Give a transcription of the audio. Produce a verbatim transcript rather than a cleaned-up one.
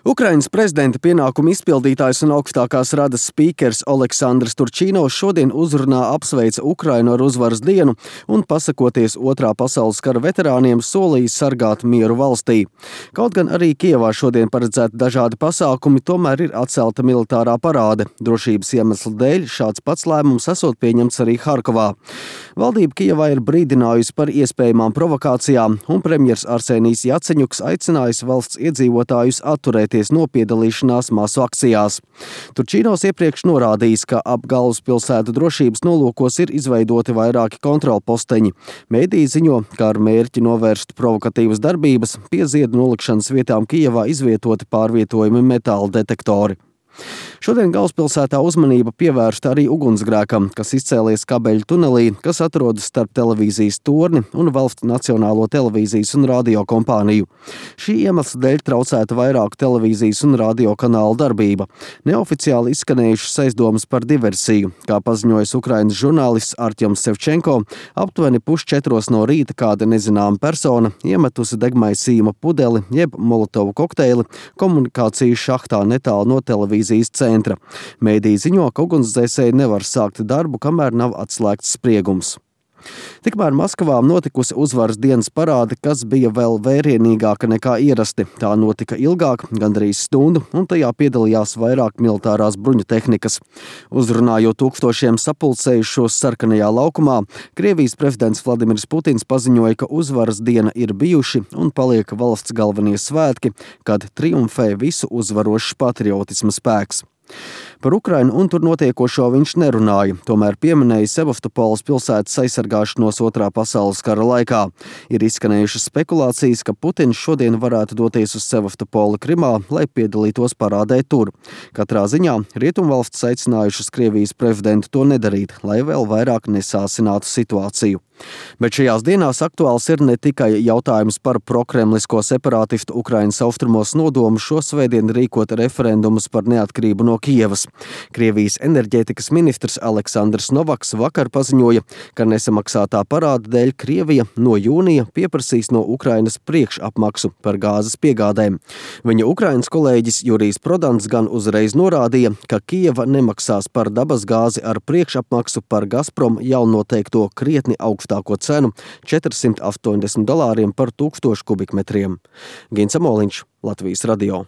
Ukrainas prezidenta pienākumu izpildītājs un augstākās radas spīkers Oleksandrs Turčīnovs šodien uzrunā apsveica Ukrainu ar uzvaras dienu un, pasakoties Otrā pasaules kara veterāniem, solījis sargāt mieru valstī. Kaut gan arī Kijevā šodien paredzēti dažādi pasākumi, tomēr ir atcelta militārā parāde. Drošības iemeslu dēļ šāds pats lēmums esot pieņemts arī Harkovā. Valdība Kijevā ir brīdinājusi par iespējamām provokācijām, un premjers Arsenijs Jaceņuks aicinājis valsts iedzīvotājus atturēties no piedalīšanās masu akcijās. Turčīnovs iepriekš norādījis, ka ap galvaspilsētu drošības nolūkos ir izveidoti vairāki kontrolposteņi. Mēdīji ziņo, ka ar mērķi novērst provokatīvas darbības pie ziedu nolikšanas vietām Kijevā izvietoti pārvietojumi metāla detektori. Šodien galvaspilsētā uzmanība pievērsta arī ugunsgrēkam, kas izcēlies kabeļu tunelī, kas atrodas starp televīzijas torni un valsts nacionālo televīzijas un radio kompāniju. Šī iemesla dēļ traucēta vairāku televīzijas un radio kanālu darbība. Neoficiāli izskanējušas aizdomas par diversiju. Kā paziņojis Ukrainas žurnālists Artjoms Sevčenko, aptuveni pusčetros no rīta kāda nezināma persona iemetusi degmaisījuma pudeli jeb molotovu kokteili komunikācijas šahtā netālu no televīzijas centra. Mēdīji ziņo, ka ugunsdzēsēji nevar sākt darbu, kamēr nav atslēgts spriegums. Tikmēr Maskavā notikusi uzvaras dienas parāde, kas bija vēl vērienīgāka nekā ierasti. Tā notika ilgāk, gandrīz stundu, un tajā piedalījās vairāk militārās bruņu tehnikas. Uzrunājot tūkstošiem sapulcējušos sarkanajā laukumā, Krievijas prezidents Vladimirs Putins paziņoja, ka uzvaras diena ir bijuši un paliek valsts galvenie svētki, kad triumfē visu uzvarošs patriotisma spēks. Par Ukrainu un tur notiekošo viņš nerunāja, tomēr pieminēja Sevastopoles pilsētas aizsargāšanos Otrā pasaules kara laikā. Ir izskanējušas spekulācijas, ka Putins šodien varētu doties uz Sevastopoli Krimā, lai piedalītos parādē tur. Katrā ziņā rietumvalstis aicinājušas Krievijas prezidentu to nedarīt, lai vēl vairāk nesāsinātu situāciju. Bet šajās dienās aktuāls ir ne tikai jautājums par prokremlisko separātistu Ukrainas austrumos nodomu šo svētdienu rīkot referendumus par neatkarību no Kijevas. Krievijas enerģētikas ministrs Aleksandrs Novaks vakar paziņoja, ka nesamaksātā parāda dēļ Krievija no jūnija pieprasīs no Ukrainas priekšapmaksu par gāzes piegādēm. Viņa Ukrainas kolēģis Jurijs Prodans gan uzreiz norādīja, ka Kijeva nemaksās par dabas gāzi ar priekšapmaksu par Gazprom jau noteikto krietni augstāko cenu četrsimt astoņdesmit dolāriem par tūkstošu kubikmetriem. Gins Amoliņš, Latvijas radio.